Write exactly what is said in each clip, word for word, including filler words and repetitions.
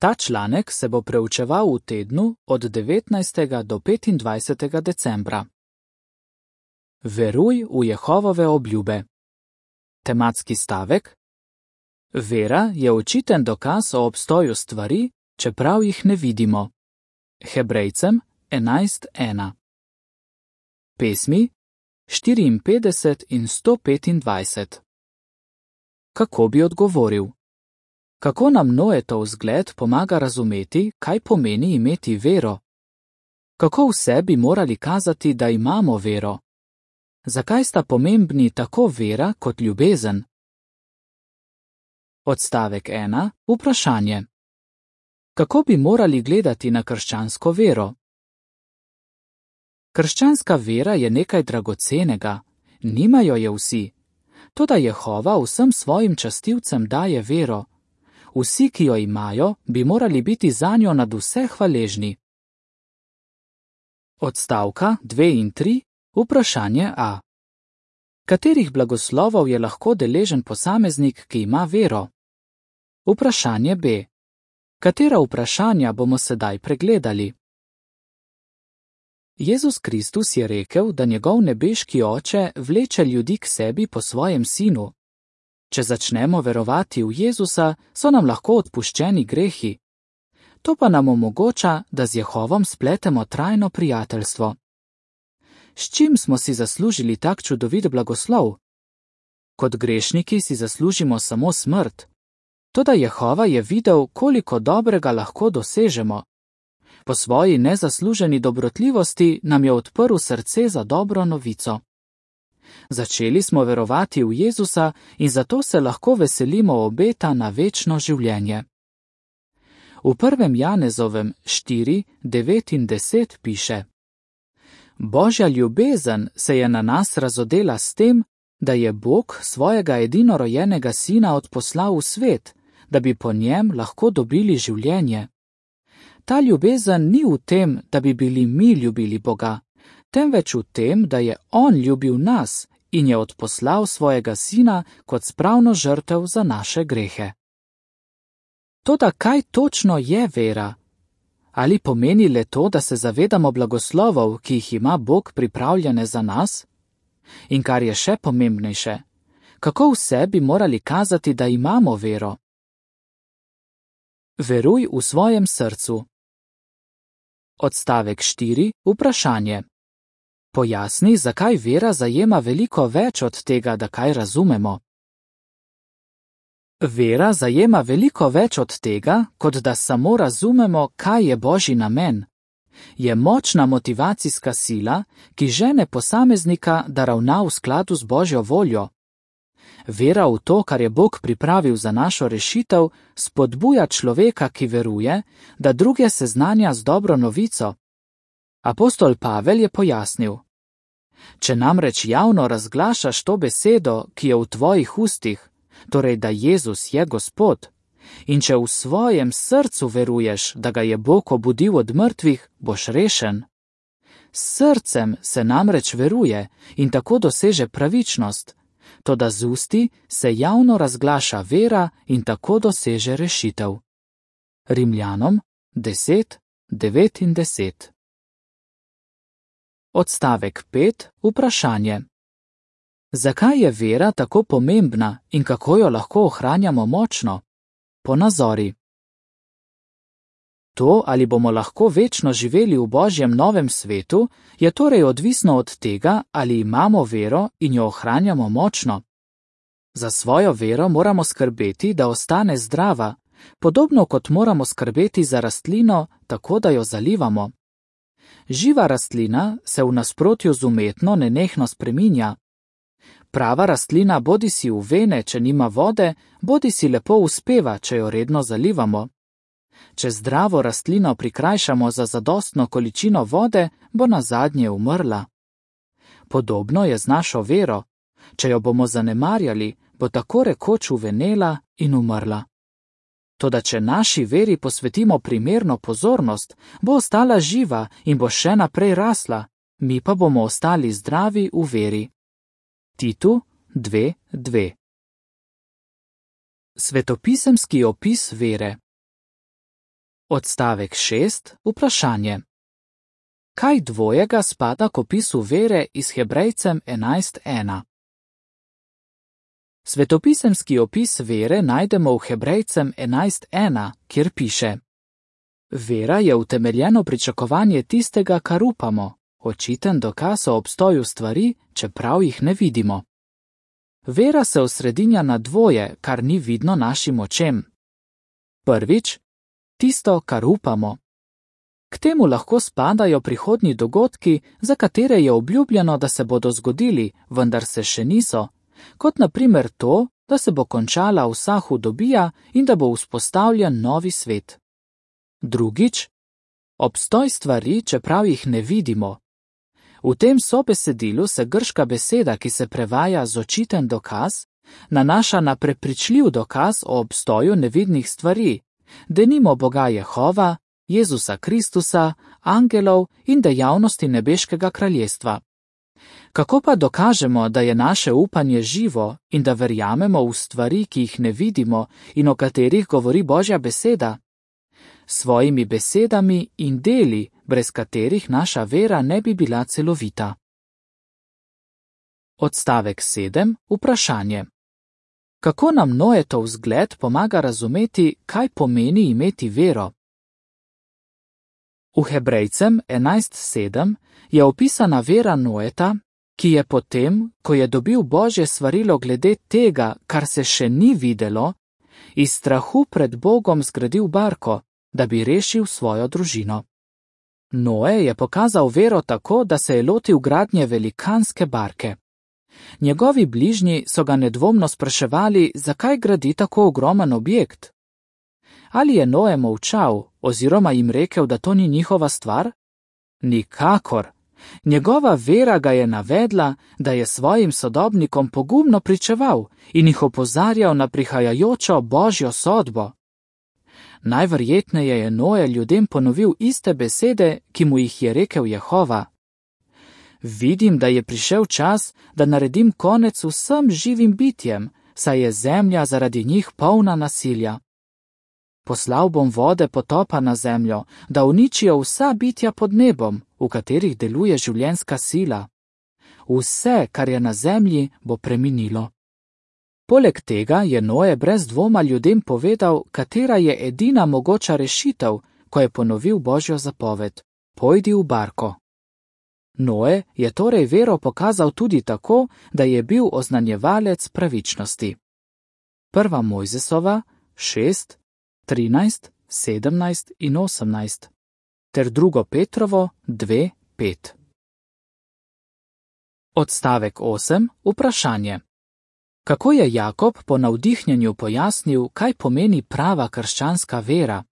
Ta članek se bo preučeval v tednu od devetnajstega do petindvajsetega decembra. Veruj v Jehovove obljube. Tematski stavek: Vera je očiten dokaz o obstoju stvari, čeprav jih ne vidimo. Hebrejcem enajst ena. Pesmi štiriinpetdeset in sto petindvajset. Kako bi odgovoril? Kako nam Noetov vzgled pomaga razumeti, kaj pomeni imeti vero? Kako vse bi morali kazati, da imamo vero? Zakaj sta pomembni tako vera kot ljubezen? Odstavek ena. Vprašanje. Kako bi morali gledati na krščansko vero? Krščanska vera je nekaj dragocenega, nimajo je vsi. Toda Jehova vsem svojim častilcem daje vero. Vsi, ki jo imajo, bi morali biti zanjo nadvse hvaležni. Odstavka dve in tri. Vprašanje A. Katerih blagoslovov je lahko deležen posameznik, ki ima vero? Vprašanje B. Katera vprašanja bomo sedaj pregledali? Jezus Kristus je rekel, da njegov nebeški Oče vleče ljudi k sebi po svojem sinu. Če začnemo verovati v Jezusa, so nam lahko odpuščeni grehi. To pa nam omogoča, da z Jehovom spletemo trajno prijateljstvo. S čim smo si zaslužili tak čudovit blagoslov? Kot grešniki si zaslužimo samo smrt. Toda Jehova je videl, koliko dobrega lahko dosežemo. Po svoji nezasluženi dobrotljivosti nam je odprl srce za dobro novico. Začeli smo verovati v Jezusa in zato se lahko veselimo obeta na večno življenje. V prvem Janezovem štiri, devet in deset piše: Božja ljubezen se je na nas razodela s tem, da je Bog svojega edinorojenega sina odposlal v svet, da bi po njem lahko dobili življenje. Ta ljubezen ni v tem, da bi bili mi ljubili Boga, temveč v tem, da je On ljubil nas in je odposlal svojega sina kot spravno žrtev za naše grehe. Toda kaj točno je vera? Ali pomeni le to, da se zavedamo blagoslovov, ki jih ima Bog pripravljene za nas? In kar je še pomembnejše, kako vse bi morali kazati, da imamo vero? Veruj v svojem srcu. Odstavek štiri. Vprašanje. Pojasni, zakaj vera zajema veliko več od tega, da kaj razumemo. Vera zajema veliko več od tega, kot da samo razumemo, kaj je Božji namen. Je močna motivacijska sila, ki žene posameznika, da ravna v skladu z Božjo voljo. Vera v to, kar je Bog pripravil za našo rešitev, spodbuja človeka, ki veruje, da druge seznanja z dobro novico. Apostol Pavel je pojasnil: Če namreč javno razglašaš to besedo, ki je v tvojih ustih, torej da Jezus je Gospod, in če v svojem srcu veruješ, da ga je Bog obudil od mrtvih, boš rešen. S srcem se namreč veruje in tako doseže pravičnost, toda z usti se javno razglaša vera in tako doseže rešitev. Rimljanom deset, devet in deset. Odstavek pet. Vprašanje. Zakaj je vera tako pomembna in kako jo lahko ohranjamo močno? Ponazori. To, ali bomo lahko večno živeli v Božjem novem svetu, je torej odvisno od tega, ali imamo vero in jo ohranjamo močno. Za svojo vero moramo skrbeti, da ostane zdrava, podobno kot moramo skrbeti za rastlino, tako da jo zalivamo. Živa rastlina se v nasprotju z umetno nenehno spreminja. Prava rastlina bodi si uvene, če nima vode, bodi si lepo uspeva, če jo redno zalivamo. Če zdravo rastlino prikrajšamo za zadostno količino vode, bo nazadnje umrla. Podobno je z našo vero. Če jo bomo zanemarjali, bo tako rekoč uvenela in umrla. Toda če naši veri posvetimo primerno pozornost, bo ostala živa in bo še naprej rasla, mi pa bomo ostali zdravi v veri. Titu dve dve. Svetopisemski opis vere. Odstavek šest. Vprašanje. Kaj dvojega spada k opisu vere iz Hebrejcem enajst ena? Svetopisemski opis vere najdemo v Hebrejcem enajst ena, kjer piše: Vera je utemeljeno pričakovanje tistega, kar upamo, očiten dokaz o obstoju stvari, čeprav jih ne vidimo. Vera se osredinja na dvoje, kar ni vidno našim očem. Prvič, tisto, kar upamo. K temu lahko spadajo prihodnji dogodki, za katere je obljubljeno, da se bodo zgodili, vendar se še niso, kot na primer to, da se bo končala vsa hudobija in da bo vzpostavljen novi svet. Drugič, obstoj stvari, čeprav jih ne vidimo. V tem sobesedilu se grška beseda, ki se prevaja z očiten dokaz, nanaša na prepričljiv dokaz o obstoju nevidnih stvari, denimo Boga Jehova, Jezusa Kristusa, angelov in dejavnosti nebeškega kraljestva. Kako pa dokažemo, da je naše upanje živo in da verjamemo v stvari, ki jih ne vidimo in o katerih govori Božja beseda? Svojimi besedami in deli, brez katerih naša vera ne bi bila celovita. Odstavek sedem. Vprašanje. Kako nam Noetov zgled pomaga razumeti, kaj pomeni imeti vero? V Hebrejcem enajst sedem je opisana vera Noeta, ki je potem, ko je dobil Božje svarilo glede tega, kar se še ni videlo, iz strahu pred Bogom zgradil barko, da bi rešil svojo družino. Noe je pokazal vero tako, da se je lotil gradnje velikanske barke. Njegovi bližnji so ga nedvomno spraševali, zakaj gradi tako ogromen objekt. Ali je Noe molčal oziroma jim rekel, da to ni njihova stvar? Nikakor. Njegova vera ga je navedla, da je svojim sodobnikom pogumno pričeval in jih opozarjal na prihajajočo Božjo sodbo. Najverjetneje je Noe ljudem ponovil iste besede, ki mu jih je rekel Jehova. Vidim, da je prišel čas, da naredim konec vsem živim bitjem, saj je zemlja zaradi njih polna nasilja. Poslal bom vode potopa na zemljo, da uničijo vsa bitja pod nebom, v katerih deluje življenjska sila. Vse, kar je na zemlji, bo preminilo. Poleg tega je Noe brez dvoma ljudem povedal, katera je edina mogoča rešitev, ko je ponovil Božjo zapoved: pojdi v barko. Noe je torej vero pokazal tudi tako, da je bil oznanjevalec pravičnosti. Prva Mojzesova šest, trinajst, sedemnajst in osemnajst ter drugo Petrovo dve, pet. Odstavek osem. Vprašanje. Kako je Jakob po navdihnjenju pojasnil, kaj pomeni prava krščanska vera?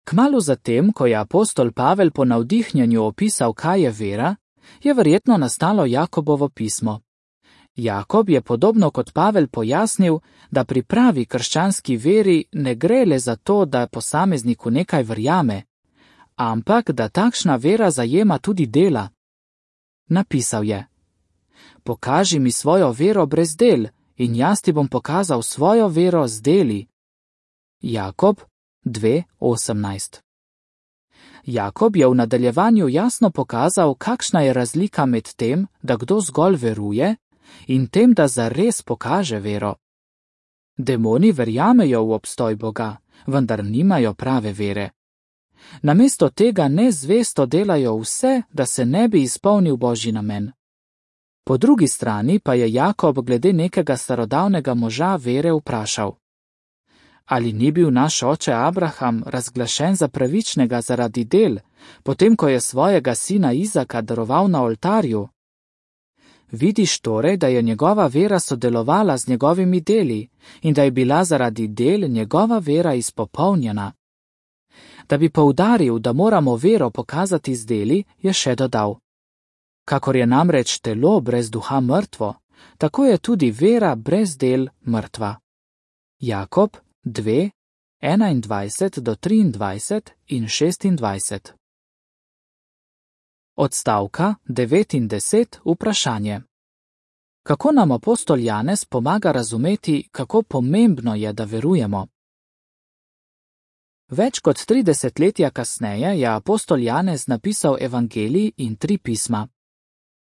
Kmalu zatem, ko je apostol Pavel po navdihnjenju opisal, kaj je vera, je verjetno nastalo Jakobovo pismo. Jakob je podobno kot Pavel pojasnil, da pri pravi krščanski veri ne gre le za to, da posamezniku nekaj verjame, ampak da takšna vera zajema tudi dela. Napisal je: Pokaži mi svojo vero brez del in jaz ti bom pokazal svojo vero z deli. Jakob dve, osemnajst. Jakob je v nadaljevanju jasno pokazal, kakšna je razlika med tem, da kdo zgolj veruje, in tem, da zares pokaže vero. Demoni verjamejo v obstoj Boga, vendar nimajo prave vere. Namesto tega nezvesto delajo vse, da se ne bi izpolnil Božji namen. Po drugi strani pa je Jakob glede nekega starodavnega moža vere vprašal: Ali ni bil naš oče Abraham razglašen za pravičnega zaradi del, potem ko je svojega sina Izaka daroval na oltarju? Vidiš torej, da je njegova vera sodelovala z njegovimi deli in da je bila zaradi del njegova vera izpopolnjena. Da bi poudaril, da moramo vero pokazati z deli, je še dodal: Kakor je namreč telo brez duha mrtvo, tako je tudi vera brez del mrtva. Jakob dve, enaindvajset do triindvajset in šestindvajset. Odstavka devet in deset. Vprašanje. Kako nam apostol Janez pomaga razumeti, kako pomembno je, da verujemo? Več kot tri desetletja kasneje je apostol Janez napisal evangelij in tri pisma.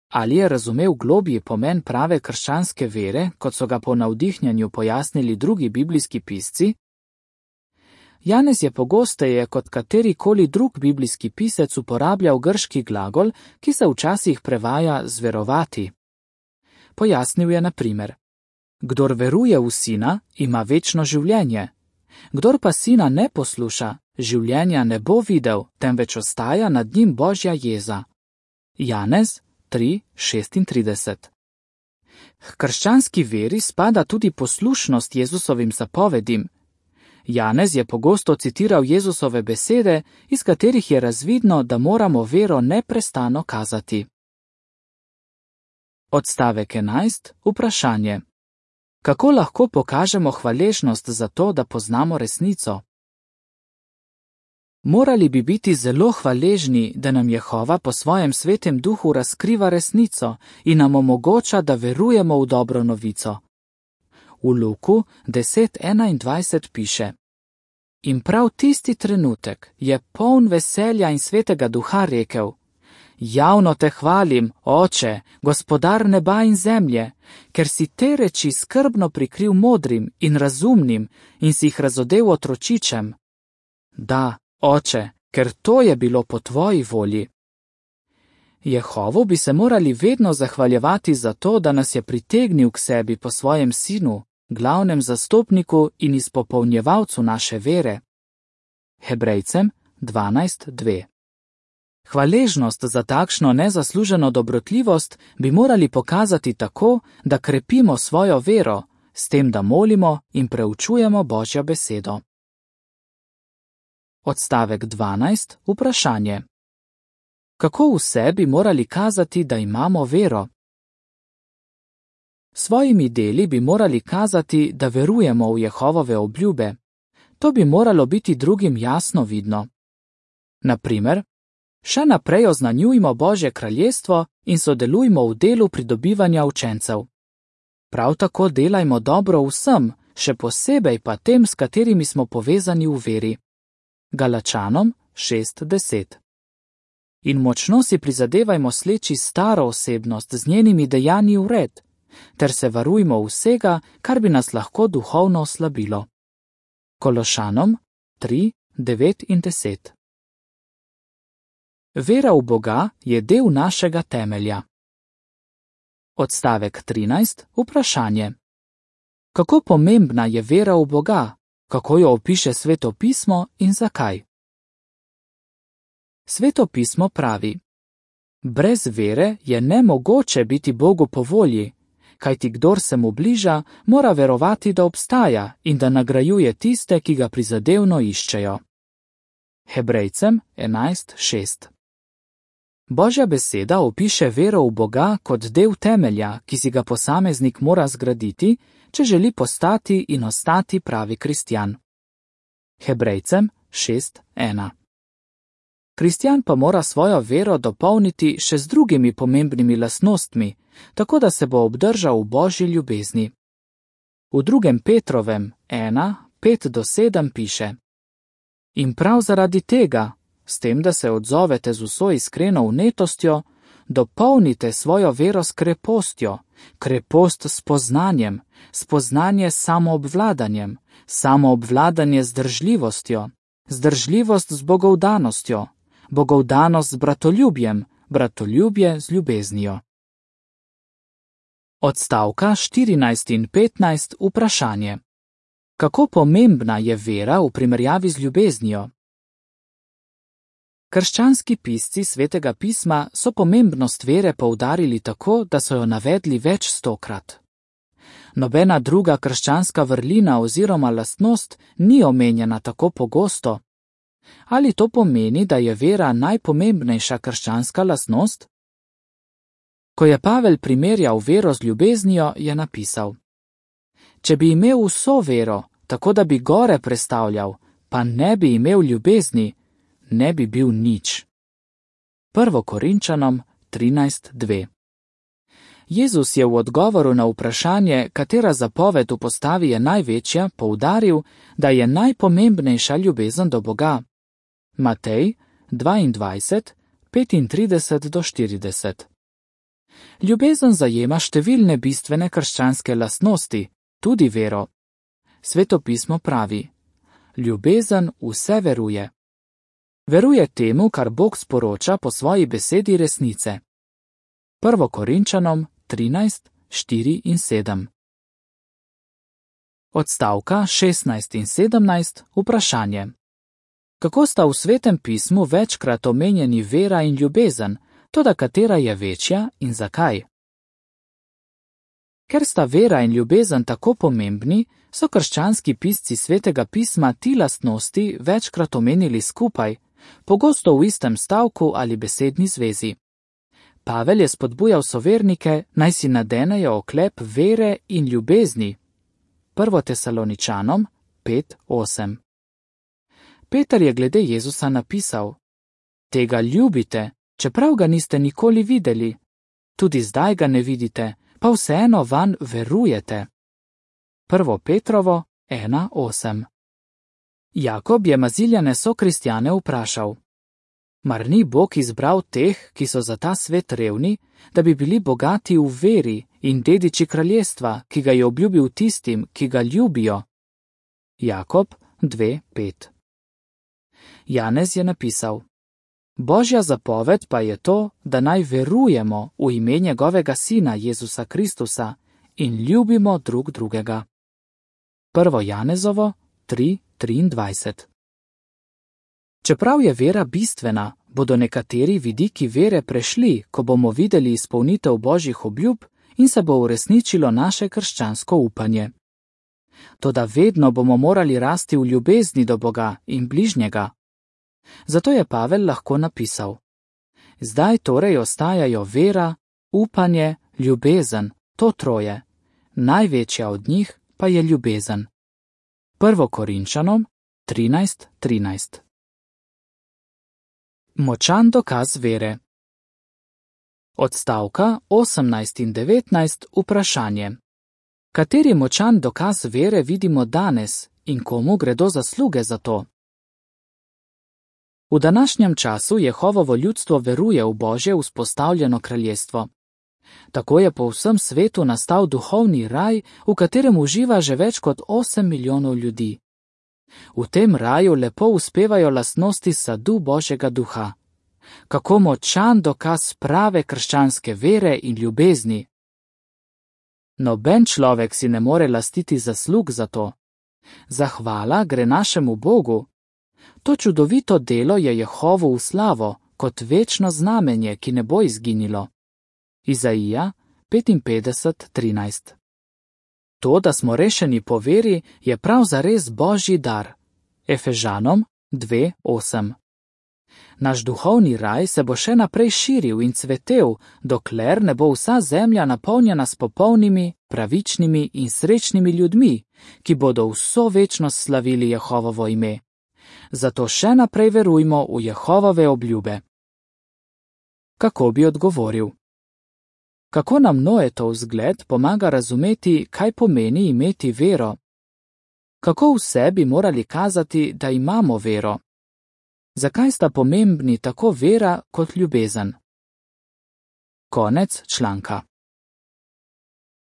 Ali je razumel globji pomen prave krščanske vere, kot so ga po navdihnjanju pojasnili drugi biblijski pisci? Janez je pogosteje kot katerikoli drug biblijski pisec uporabljal grški glagol, ki se včasih prevaja zverovati. Pojasnil je na primer: Kdor veruje v Sina, ima večno življenje. Kdor pa Sina ne posluša, življenja ne bo videl, temveč ostaja nad njim Božja jeza. Janez tri šestintrideset. K krščanski veri spada tudi poslušnost Jezusovim zapovedim. Janez je pogosto citiral Jezusove besede, iz katerih je razvidno, da moramo vero neprestano kazati. Odstavek enajst. Vprašanje. Kako lahko pokažemo hvaležnost za to, da poznamo resnico? Morali bi biti zelo hvaležni, da nam Jehova po svojem svetem duhu razkriva resnico in nam omogoča, da verujemo v dobro novico. V Luku deset enaindvajset piše: In prav tisti trenutek je poln veselja in svetega duha rekel: Javno te hvalim, Oče, gospodar neba in zemlje, ker si te reči skrbno prikril modrim in razumnim in si jih razodel otročičem. Da, Oče, ker to je bilo po tvoji volji. Jehovu bi se morali vedno zahvaljevati za to, da nas je pritegnil k sebi po svojem sinu, glavnem zastopniku in izpopolnjevalcu naše vere. Hebrejcem dvanajst dve. Hvaležnost za takšno nezasluženo dobrotljivost bi morali pokazati tako, da krepimo svojo vero, s tem, da molimo in preučujemo Božjo besedo. Odstavek dvanajst. Vprašanje. Kako vse bi morali kazati, da imamo vero? Svojimi deli bi morali kazati, da verujemo v Jehovove obljube. To bi moralo biti drugim jasno vidno. Na primer, še naprej oznanjujmo Božje kraljestvo in sodelujmo v delu pridobivanja učencev. Prav tako delajmo dobro vsem, še posebej pa tem, s katerimi smo povezani v veri. Galačanom šest deset. In močno si prizadevajmo sleči staro osebnost z njenimi dejanji v red, ter se varujmo vsega, kar bi nas lahko duhovno oslabilo. Kološanom tri devet in deset. Vera v Boga je del našega temelja. Odstavek trinajst. Vprašanje. Kako pomembna je vera v Boga? Kako jo opiše Sveto pismo in zakaj? Sveto pismo pravi: Brez vere je nemogoče biti Bogu po volji, kajti kdor se mu bliža, mora verovati, da obstaja in da nagrajuje tiste, ki ga prizadevno iščejo. Hebrejcem enajst šest. Božja beseda opiše vero v Boga kot del temelja, ki si ga posameznik mora zgraditi, če želi postati in ostati pravi kristjan. Hebrejcem šest ena. Kristjan pa mora svojo vero dopolniti še z drugimi pomembnimi lastnostmi, tako da se bo obdržal v Božji ljubezni. V drugem Petrovem ena pet do sedem piše: In prav zaradi tega, s tem, da se odzovete z vso iskreno vnetostjo, dopolnite svojo vero s krepostjo, krepost s poznanjem, spoznanje s samoobvladanjem, samoobvladanje z zdržljivostjo, zdržljivost z bogovdanostjo, bogovdanost z bratoljubjem, bratoljubje z ljubeznijo. Odstavka štirinajst in petnajst. Vprašanje. Kako pomembna je vera v primerjavi z ljubeznijo? Krščanski pisci Svetega pisma so pomembnost vere poudarili tako, da so jo navedli več stokrat. Nobena druga krščanska vrlina oziroma lastnost ni omenjena tako pogosto. Ali to pomeni, da je vera najpomembnejša krščanska lastnost? Ko je Pavel primerjal vero z ljubeznijo, je napisal: Če bi imel vso vero, tako da bi gore prestavljal, pa ne bi imel ljubezni, ne bi bil nič. Prvo Korinčanom trinajst dve. Jezus je v odgovoru na vprašanje, katera zapoved v postavi je največja, poudaril, da je najpomembnejša ljubezen do Boga. Matej dvaindvajset, petintrideset do štirideset. Ljubezen zajema številne bistvene krščanske lastnosti, tudi vero. Sveto pismo pravi: ljubezen vse veruje. Veruje temu, kar Bog sporoča po svoji besedi resnice. Prvo Korinčanom trinajst, štiri in sedem. Odstavka šestnajst in sedemnajst, vprašanje. Kako sta v Svetem pismu večkrat omenjeni vera in ljubezen, toda katera je večja in zakaj? Ker sta vera in ljubezen tako pomembni, so krščanski pisci Svetega pisma ti lastnosti večkrat omenili skupaj, pogosto v istem stavku ali besedni zvezi. Pavel je spodbujal sovernike, naj si nadenejo oklep vere in ljubezni. Prvo Tesaloničanom pet, osem. Peter je glede Jezusa napisal: tega ljubite, čeprav ga niste nikoli videli. Tudi zdaj ga ne vidite, pa vseeno vanj verujete. Prvo Petrovo ena, osem. Jakob je Maziljane sokristjane vprašal: mar ni Bog izbral teh, ki so za ta svet revni, da bi bili bogati v veri in dediči kraljestva, ki ga je obljubil tistim, ki ga ljubijo? Jakob dve, pet. Janez je napisal: Božja zapoved pa je to, da naj verujemo v ime njegovega Sina Jezusa Kristusa in ljubimo drug drugega. Prvo Janezovo tri, triindvajset. Čeprav je vera bistvena, bodo nekateri vidiki vere prešli, ko bomo videli izpolnitev Božjih obljub in se bo uresničilo naše krščansko upanje. Toda vedno bomo morali rasti v ljubezni do Boga in bližnjega. Zato je Pavel lahko napisal: zdaj torej ostajajo vera, upanje, ljubezen, to troje, največja od njih pa je ljubezen. Prvo Korinčanom trinajst, trinajst. Močan dokaz vere. Odstavka osemnajst in devetnajst, vprašanje. Kateri močan dokaz vere vidimo danes in komu gredo zasluge za to? V današnjem času Jehovovo ljudstvo veruje v Božje vzpostavljeno kraljestvo. Tako je po vsem svetu nastal duhovni raj, v katerem uživa že več kot osem milijonov ljudi. V tem raju lepo uspevajo lastnosti sadu Božjega duha. Kako močan dokaz prave krščanske vere in ljubezni! Noben človek si ne more lastiti zaslug za to. Zahvala gre našemu Bogu. To čudovito delo je Jehovu v slavo, kot večno znamenje, ki ne bo izginilo. Izaija petinpetdeset, trinajst. To, da smo rešeni po veri, je prav zares Božji dar. Efežanom dve, osem. Naš duhovni raj se bo še naprej širil in cvetel, dokler ne bo vsa zemlja napolnjena s popolnimi, pravičnimi in srečnimi ljudmi, ki bodo vso večnost slavili Jehovovo ime. Zato še naprej verujmo v Jehovove obljube. Kako bi odgovoril? Kako nam Noetov zgled pomaga razumeti, kaj pomeni imeti vero? Kako vse bi morali kazati, da imamo vero? Zakaj sta pomembni tako vera kot ljubezen? Konec članka.